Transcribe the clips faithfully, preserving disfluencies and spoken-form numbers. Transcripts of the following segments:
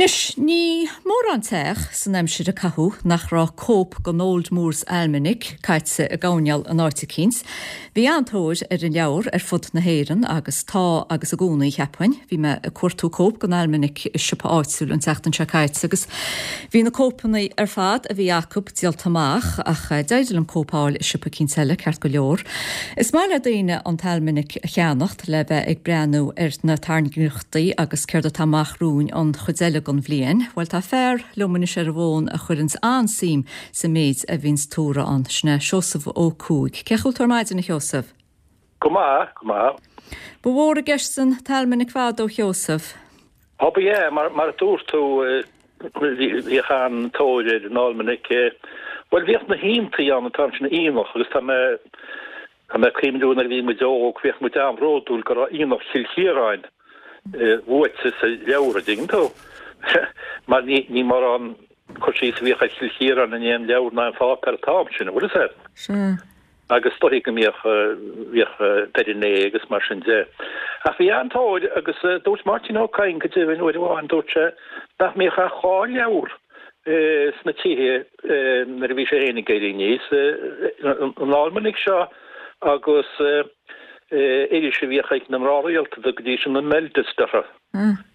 Anois, ní mórán teach san aimsir a caitheadh nach raibh cóip den Old Moore's Almanac caite i gcoirnéal in áit eicínt. Bhí an-tóir ar an leabhar ar fud na hÉireann agus tá agus i gcónaí cheapfainn. Bhí mé ag cuartú cóip den Almanac i siopa áitiúil an tseachtain seo caite agus bhí na cóipeanna ar fad a bhí acu díolta amach ach d'éirigh liom cóip a fháil i siopa eicínt eile ceart go leor. Is maith le daoine an t-almanac a cheannacht le bheith ag breathnú ar na tairngreachtaí agus céard atá amach romhainn an chuid eile den bhliain. Bhuel tá fear liom anois ar an bhfón a chuireanns an-suim sa méid a bhíonns tuartha ann. Sin é Seosamh Ó Cuaig. Cén chaoi a bhfuil tú ar maidin a Sheosaimh? Go maith, go maith. Ba mhór i gceist an t-almanac fadó a Sheosaimh. Ó ba ea, mar mar a dúirt tú bhíodh an-tóir ar an almanac. Bhuel bhíodh na haontaí ann an t-am sin aonach agus tá mé tá mé ag cuimhniú nuair a bhí muid óg bhíodh muid an-bhródúil go raibh Aonach Chill Chiaráin luaite sa leabhar, an dtuigeann tú? Mar ní ní mórán cur síos a bhíodh ar Chill Chiaráin in aon leabhar ná aon pháipéar an t-am sin, an bhfuil fhios agat? Sea. Agus is dóigh go mbíodh bhíodh Doire Né agus mar sin de. Ach bhí an-tóir agus dúirt Máirtín Ó Cadhain go deimhin uair amháin, dúirt sé nach mbíodh ach dhá leabhar sna tithe nuair a bhí sé féin ag éirí aníos, an almanac seo agus iris a bhíodh ag na mná rialta go dtí sin, an Melteste orthu.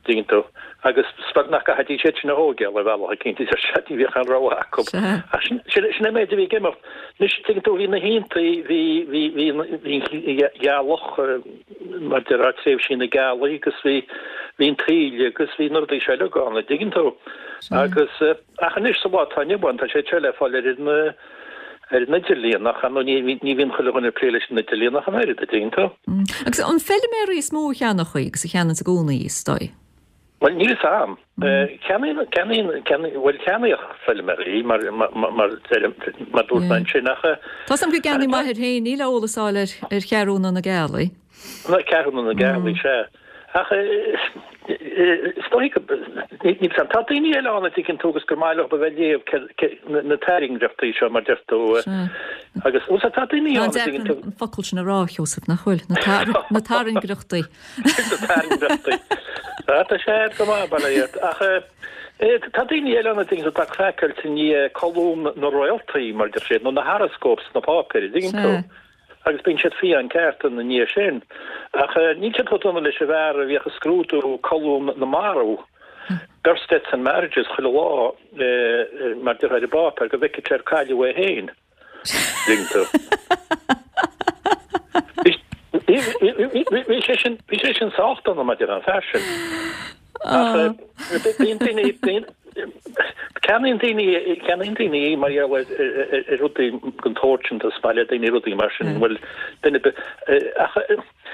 Dtuigeann tú. Agus is beag nach gcaithfidís iad sin a thógáil ar bhealach eicínt, a deir sé, ní bhíodh aon rogha acu. Ach sin, sin, sin an méid a bhí ag imeacht. Anois, tuigeann tú, bhí na haontaí, bhí, bhí, bhí, bhí an ghealach, mar a déarfá, tréimhsí na gealaí agus bhí, bhí an taoille agus bhí na rudaí seo uilig ann, an dtuigeann tú. Agus, ach anois sa lá atá inniu ann, tá sé seo le fáil ar an, ar an idirlíon, ach ar ndóigh ní, ní bhíonn chuile dhuine ag plé leis an idirlíon ach an oiread, an dtuigeann tú. Agus an feiliméaraí is mó a cheannódh í agus a cheannaíonns i gcónaí í, is dóigh? Bhuel, níl fhios a'm. Ceannaíonn, ceannaíonn, ceannaíonn, bhuel, ceannaíodh feiliméaraí mar, mar, mar, mar dúirt mé ansin ach. Tá 'fhios a'm go gceannaigh m'athair féin í le eolas a fháil ar, ar cheathrúna na gealaí. Na ceathrúna na gealaí, sea. Ach is dóigh go, níl 'fhios a'm, tá daoine eile ann a dtuigeann tú agus gur maith leo a bheith ag léamh na tairngreachtaí seo mar deir tú agus bhuel tá daoine ann a dtuigeann tú. An focal sin a rá, Sheosamh, nach bhfuil? Na tairngreachtaí. Na tairngreachtaí. Tá sé go maith, bail ó Dhia ort. Ach tá daoine eile ann a dtuigeann tú atá craiceáilte i ndiaidh colún na réaltaí mar deir siad nó na horoscopes sna páipéir, a dtuigeann tú. Agus bíonn siad fiáin ceart ina ndiaidh sin. Ach níl siad chomh dona leis an bhfear a bhíodh ag scrúdú colún na marbh, births, deaths and marriages, chuile lá, mar déarfá ar an bpáipéar, go bhfeicfeadh sé ar cailleadh é féin. Dtuigeann tú? Bhí sé sin, bhí sé sin sách dona, mar déarfá, an fear sin. Ach bíonn daoine, bíonn, ceannaíonn daoine, ceannaíonn daoine í mar gheall ar ar rudaí den tsórt sin, is maith le daoine rudaí mar sin, bhuel, duine ar bith, ach.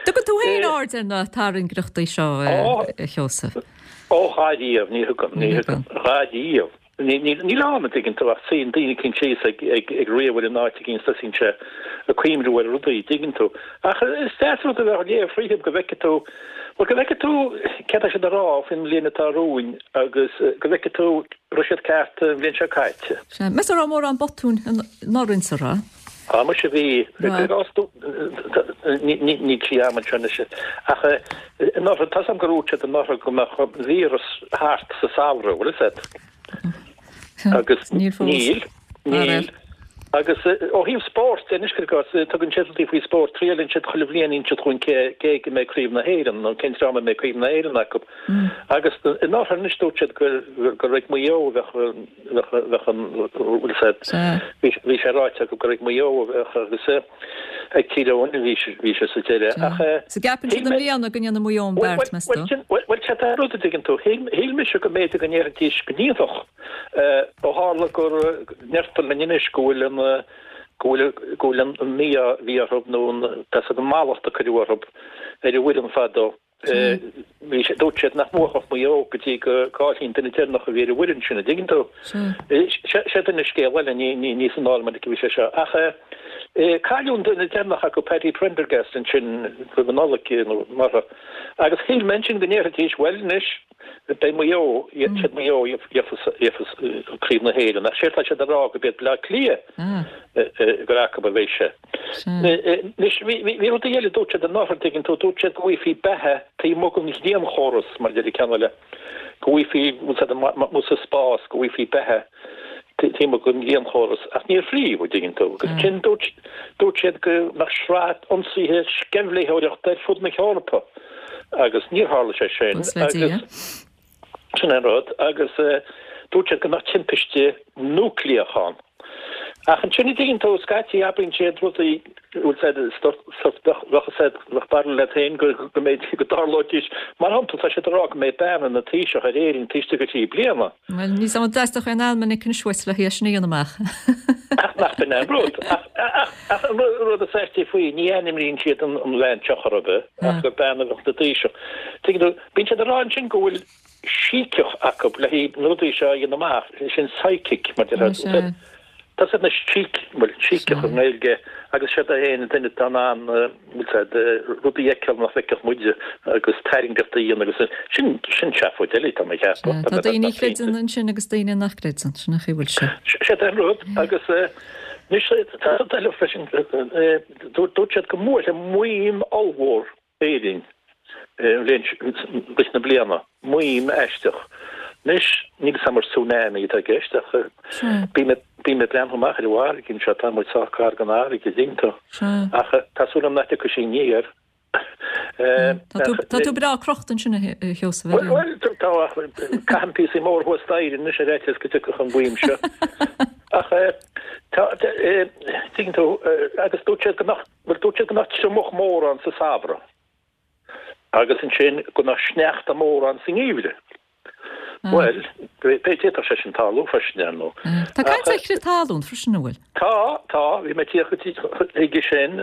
Tugann tú féin aird ar na tairngreachtaí seo, a Sheosaimh? Ó, dháiríre, ní thugaim, ní thugaim, dháiríre. Níl ann, an dtuigeann tú, ach suíonn duine eicínt síos ag ríomhaire in áit eicínt is tosaíonn sé ag cuimhniú ar rudaí, an dtuigeann tú. Ach is deas rud a bheith á léamh fríothu go bhfeicfidh tú, bhuel, go bhfeicfidh tú céard tá siad a rá faoin mbliain atá romhainn agus go bhfeicfidh tú raibh siad ceart an bhliain seo caite. Sea. Meas tú an raibh mórán botúin anuraidh insa raibh? Á, muise bhí. Níl sí a'm anseo anois. Ach anuraidh, tá's a'm gur dhúirt siad anuraidh go mbeadh an víreas thart sa samhradh, bhfuil 'fhios a'd? Agus níl fós. Níl, níl. Agus ó thaobh spóirt de, anois cuir i gcás, tugann siad rudaí faoi spórt, triaileann siad chuile bhliain inseann siad chugainn cé cé go mbeidh Craobh na hÉireann nó cén dream a mbeidh Craobh na hÉireann acu. Agus anuraidh anois dúirt siad gur gur ag Maigh Eo a bheadh bheadh bheadh an bhfuil 'fhios a'd, bhí bhí sé ráite acu gur ag Maigh Eo a bheadh agus ag Tír Eoghain a bhí sé bhí sé sa deireadh. Ach So gceapann shíl siad i mé mbliana go ndéanfaidh Maigh Eo an Bhuel beart, meas tú? bhuel bhuel sé tá rud a dtuigeann tú. Shíl shíl mise go mb'fhéidir go ndéarfaidís go ndéanfadh ó tharla gur ndeirtear linn anois go bhfuil an go bhfuil go bhfuil an mí-ádh a bhí orthu nó an tá 'fhios a'd an mallacht a cuireadh orthu ar an bhfoireann fadó. Bhí sé, dúirt siad nach mbuafadh Maigh Eo go dtí go gcaillfí an duine deireanach a bhí ar an bhfoireann sin, an dtuigeann tú? Sé duine scéal eile, ní, ní, ní san almanac a bhí sé seo. Ach cailleadh an duine deireanach acu, Paddy Prendergast, ansin roimh an Nollaig nó mar agus shíl mé ansin go ndéarfaidís, bhuel anois, beidh Maigh Eo, siad Maigh Eo a gheofas, gheofas Craobh na hÉireann. Ach séard tá siad a rá go b'iad Bleá Cliath gur acu a bheidh sé. Anois, bhí rudaí eile, dúirt siad anuraidh, an dtuigeann tú, dúirt siad go bhfaighfí beatha taobh amuigh den ghrianchóras, mar a deir an ceann eile, go bhfaighfí bhfuil sa spás go bhfaighfí beatha timpeall den ghrianchóras ach níor fríodh an dtuigeann tú agus ansin dúirt dúirt siad go mbeadh sraith ionsaithe sceimhlitheoireachta ar fud na hEorpa agus níor tharla sé sin agus sin an rud agus dúirt siad go mbeadh timpiste núicléach ann. Ach ansin an dtuigeann tú scaití abraíonn siad rudaí bhfuil said bheadh said bheadh barúil leat féin go go mbeidh go dtarlóidís mar shampla tá siad ag rá go mbeidh bean ina taoiseach ar Éirinn taobh istigh de thrí bliana. Bhuel ní sam dteastódh aon almanac anois uait le hé sin a dhéanamh amach. Ach nach b'in an rud. Ach ach ach an rud is aistí faoi ní ainmníonn siad an an bhean seo chor ar bith ach gur bean a bheadh ina taoiseach. Tuigeann tú bíonn siad ag rá ansin go bhfuil síceach acu le haghaidh na rudaí seo a dhéanamh amach, sin psychic mar deir Tá siad na síc, bhuel, síceach i nGaeilge agus siad é an duine atá in ann, bhfuil siad, rudaí a fheiceáil nach bhfeicfeadh muide agus tairngreacht a dhéanamh agus sin, sin seafóid eile tá mé ag ceapadh. Tá daoine a chreideann ansin agus daoine nach gcreideann, sin an chaoi a bhfuil sé. Sin é an rud agus anois tá rud eile freisin, dúirt siad go mbuailfeadh maidhm ollmhór Éirinn rith na bliana, maidhm aisteach. Anois, níl 'fhios a'm ar tsunami atá i gceist ach bím bím ag breathnú amach ar an bhfarraige anseo, tá muid sách gar don fharraige, an dtuigeann tú. Ach tá súil agam nach dtiocfaidh sí aniar. Tá tú breá crochta ansin a Sheosaimh. Bhuel, tá ach caithim píosaí mór thuas staighre anois ar fhaitíos go dtiocfadh an mhaidhm seo. Ach tá, tuigeann tú, agus dúirt siad go mbeadh, bhuel dúirt siad go mbeadh triomach mór ann sa samhradh. Agus ansin go mbeadh sneachta mór ann sa ngeimhreadh. Bhuel, d'fhéadfadh sé sin tarlú freisin, ar ndóigh. Tá caint ar chrith talún freisin, an bhfuil? Tá, tá, bhí mé ag tíocht chuige sin.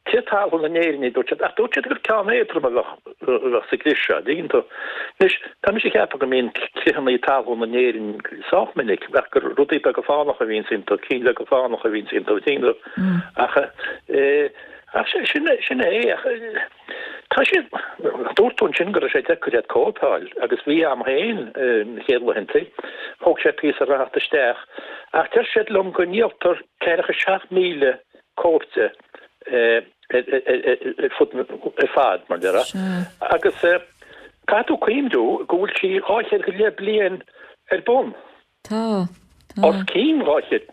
Crith talún in Éirinn, dúirt siad, ach dúirt siad gur ceann éadrom a bheadh sa gcrith seo, an dtuigeann tú. Anois, tá mise ag ceapadh go mbíonn critheanna talún in Éirinn sách minic, ach gur rudaí beaga fánacha a bhíonns iontu, cinn bheaga fánacha a bhíonns iontu, an dtuigeann tú. Ach, Ach sin sin é, ach tá siad, dúirt tú ansin go raibh sé deacair iad cóip a fháil agus bhí a'm féin na chéad laethanta, thóg sé píosa a theacht isteach ach deir siad liom go ndíoltar ceathracha seacht míle cóip de ar fud ar fad mar déarfá agus caithfidh tú cuimhniú go bhfuil sí dhá chéad go leith bliain ar bun. Tá. Tá. Os cionn dhá chéad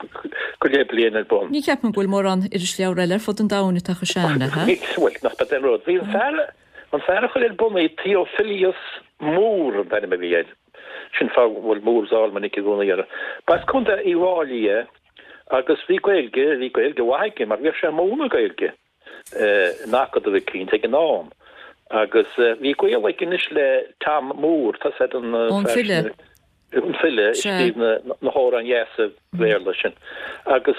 go leith bliain ar bun. Ní cheapaim go bhfuil mórán irisleabhar eile ar fud an domhain atá chomh sean léi. Ní, bhuel, nach b'é an rud. Bhí an fear, an fear a chuir ar bun í, Theophilus Moore an t-ainm a bhí air. Sin fáth go bhfuil Moore's Almanac i gcónaí air. B'as Contae Uíbh Fháilí é agus bhí Gaeilge, bhí Gaeilge mhaith aige mar bhíodh sé ag múineadh Gaeilge in acadamh eicínt ag an am. Agus bhí gaol aige anois le Tom Moore, tá 'fhios a'd an An fear file. sin. an file a Sea. scríobh na hamhráin dheasa Bhéarla sin. Agus,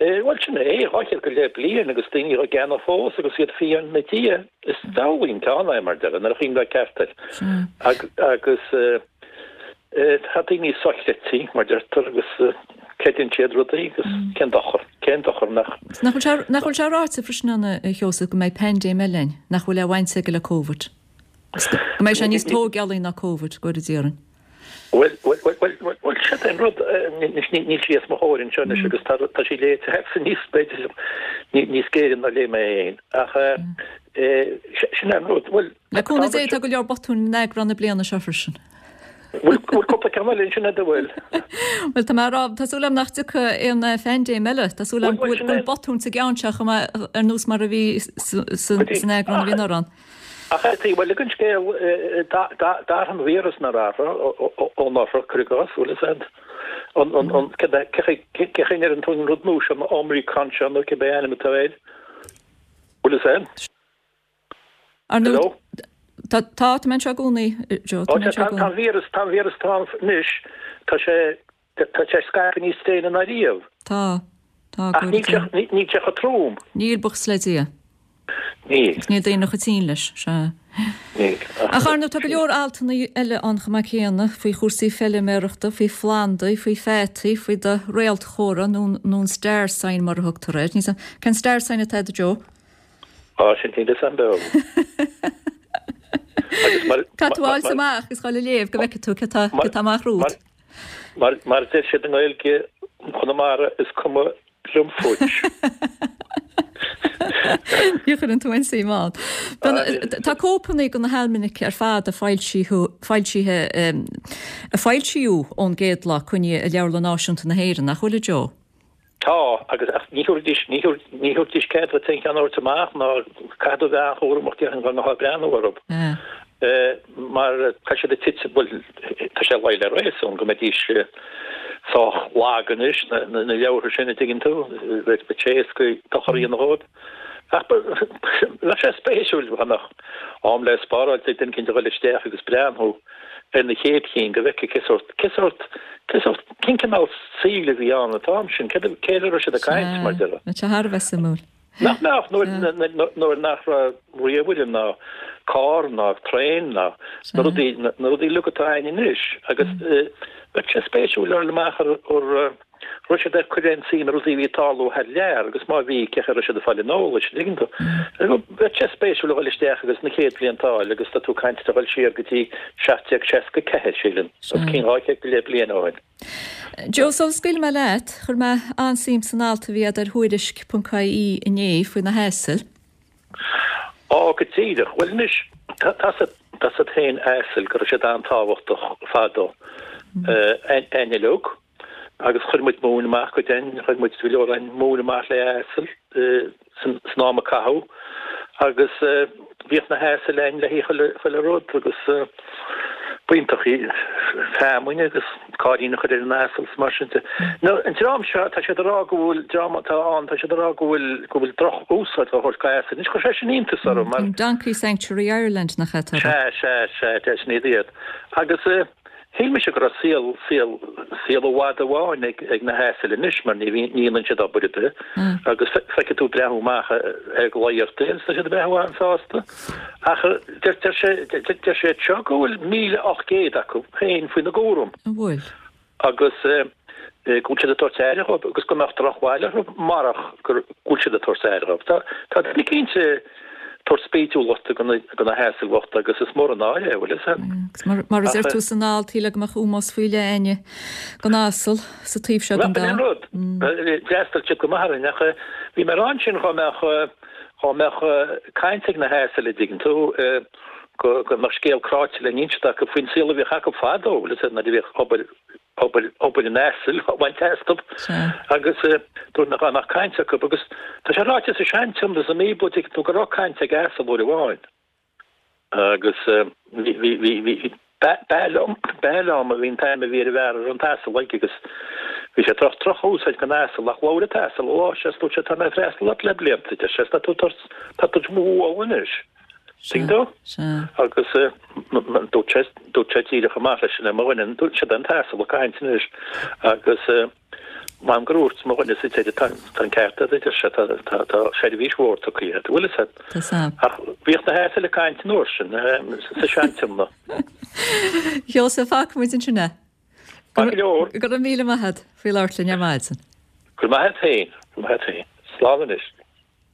bhuel, sin é, dhá chéad go leith bliain agus daoine á gceannach fós agus iad fiáin ina diaidh. Is diabhlaí an ceann é, mar deir, nuair a chuimhneofá ceart air. Sea. Agus tá daoine sochreidte, mar deirtear, agus creideann siad rudaí agus cén dochar, cén dochar nach. Nach bhfuil sé, nach bhfuil sé ráite freisin ann, a Sheosaimh, go mbeidh paindéim eile ann, nach bhfuil aon bhaint aige le Covid? Go mbeidh sé níos tógálaí ná Covid, go bhfóire Dia orainn. Bhuel, bhuel, bhuel, bhuel, bhuel, bhuel, sin é an rud, anois níl sí os mo chomhair anseo anois agus tá, tá sí léite agatsa níos, b'fhéidir, níos géire ná léigh mé é féin. Ach sin é an rud, bhuel, Le cúnamh Dé tá go leor botún in eagrán na bliana seo freisin. Bhfuil, bhfuil cúpla ceann eile ansin a'd, an bhfuil? Bhuel, tá mé ag rá, tá súil agam nach dtiocfaidh aon phaindéim eile. Tá súil agam go bhfuil, go bhfuil botún sa gceann seo chomh maith ar nós mar a bhí san eagrán a bhí anuraidh ann. Ach ar taobh eile den scéal, d'athraigh an víreas nár athraigh ó anuraidh, cuir i gcás, bhfuil fhios a'd, an, an, an, cé chaoi a ndeireann tú an rud nua seo, an Omicron seo nó cibé ainm atá air, bhfuil fhios a'd? Ar ndóigh, Hello? tá, tá, tá mé anseo i gcónaí, Joe, tá mé anseo i Tá gcónaí. an víreas, tá an víreas atá ann anois, tá sé, tá sé scaipthe níos déine ná riamh. Tá, tá, Ach níl sé, níl sé chomh trom. Níl, buíochas le Dia. Níl. Níl daoine chomh tinn leis, sea. Níl. Ach ar ndóigh, tá go leor altanna eile ann chomh maith céanna, faoi chúrsaí feiliméarachta, faoi phlandaí, faoi pheataí, faoi do réaltchomhartha nó nó an star sign mar a thugtar air. Níl 's a'm, cén star sign atá a'd, a Joe? Á, sin níl 'fhios a'm beo. Agus mar, Caithfidh tú mar, fháil amach agus dhul a léamh go bhfeicfidh tú cé tá, cé tá amach romhat. mar, mar deir siad i nGaeilge Chonamara is cuma liom fút. Ní chuireann tú aon suim ann. Tá cóipeanna de na halmanaic ar fad a foilsithe a foilsíodh ón gcéad lá coinnithe i Leabharlann Náisiúnta na hÉireann, nach bhfuil, a Joe? Tá, agus ní thabharfaidís ní thabharfaidís cead duit aon cheann a thabhairt amach ná caithfidh tú bheith an-chúramach déarfainn go mbeifeá ag breathnú orthu. Mar tá siad ag titim, bhuel, tá sé luí le réasún go mbeidís sách lag anois, na leabhartha sin, a dtuigeann tú, bheadh sé éasca dochar a dhéanamh dhóibh. Ach bheadh sé spéisiúil dá mbeadh am le spáráil ag duine éicint a dhul isteach agus breathnú ar na chéad chinn go bhfeicfeá cé sórt, cé sórt, cé sórt, cén cineál saoil a bhí ann an t-am sin, cé cé a raibh siad ag caint mar déarfá. Bheadh sé thar a bheith suimiúil. Nach mbeadh, nuair, nuair nach raibh ríomhaire ná carr ná traein ná na rudaí, na rudaí uilig atá againn anois agus bheadh sé spéisiúil a fháil amach ar, ar, raibh siad ag cur aon suim i rudaí a bhí ag tarlú thar lear agus má bhí, cén chaoi a raibh siad ag fáil an eolais, an dtuigeann tú? Bheadh sé spéisiúil a dhul isteach agus na chéad bhlianta a fháil agus tá tú ag caint ar a dhul siar go dtí seacht déag seasca ceathair, sílim, os cionn dhá chéad go leith bliain ó shin. Joe, sula scaoilfidh mé leat, chuir mé an-suim san alt a bhí agat ar Thuairisc ponc ie inné faoi na hasail. Á, go díreach. Bhuel anois, tá a fhios agat féin asail go raibh siad an-tábhachtach fadó. Againn uilig. Agus chuir muid móin amach go deimhin, chuir muid go leor againn móin amach le hasail san am a caitheadh agus bhíodh na hasail againn le haghaidh chuile rud agus b'iontach í feamainn agus cáirín a chur ar an asal is mar sin de. Now an dream seo, tá siad ag rá go bhfuil, dream atá ann, tá siad ag rá go bhfuil, go bhfuil droch-úsáid á thabhairt go asail. Anois chuir sé sin iontas orm mar. Donkey Sanctuary Ireland nach ea atá. Sea, sea, sea, sin iad iad. Agus. Shíl mise go raibh saol, saol, saol i bhfad amháin ag, ag na hasail anois mar ní bhíonn, ní dhéanann siad obair ar bith agus feicfidh tú breathnú amach ar glao orthu agus tá siad ag breathnú an-sásta. Ach deir, deir sé, deir siad seo go bhfuil míle ocht gcéad acu féin faoina gcúram. An bhfuil? Agus go bhfuil siad ag tabhairt aire dhóibh agus go mbeadh drochbhail orthu marach go bhfuil siad ag tabhairt aire dhóibh. Tá, tá duine eicínt tabhairt spídiúlachta do na hasail bhochta agus is mór an náire é, bhfuil fhios a'd. Agus mar a deir tú san alt, shílfeá go mbeadh ómós faoi leith againne don asal sa taobh seo den domhan. Bhuel, rud, d'fhreastail siad go maith orainn ach bhí mé ag rá ansin dhá mbeadh, dhá mbeadh caint ag na hasail, a dtuigeann tú, go mbeadh scéal cráite le n-inseacht acu faoin saol a bhíodh acu fadó, bhfuil fhios a'd, nuair a bhíodh obair obair, obair an asail á baint astu agus dúirt mé dhá mbeadh caint acu agus tá sé ráite sa Sean-Tiomna sa mBíobla dtuigeann tú go raibh caint ag asal uair amháin agus bhí, bhí, bhí, bhí, Balaam, Balaam a bhí an t-ainm a bhí ar an bhfear a raibh an t-asal aige agus bhí sé ag tabhairt droch-úsáid don asal ach labhair an t-asal an lá sin is dúirt sé tá mé ag freastal ort le blianta, deir sé, tá tú ag tabhairt, tá tú ag mo bhualadh anois. Tuigeann tú? Agus dúirt sé, dúirt sé díreach amach leis sin, mo dhuine, dúirt sé an t-asal ag caint anois agus m'anam gur dhúirt mo dhuine sa deireadh, tá an ceart agat, a deir sé, tá, tá, tá seirbhís mhór tugtha agat, bhfuil fhios agat? Tá sam. Ach bhíodh na hasail ag caint an uair sin, sa Sean-Tiomna. Sheosaimh, fágfaidh muid ansin é. Maith go leor. Go raibh míle maith agat faoi labhairt linn ar maidin. Go raibh maith agat féin, go raibh maith agat féin. Slán anois.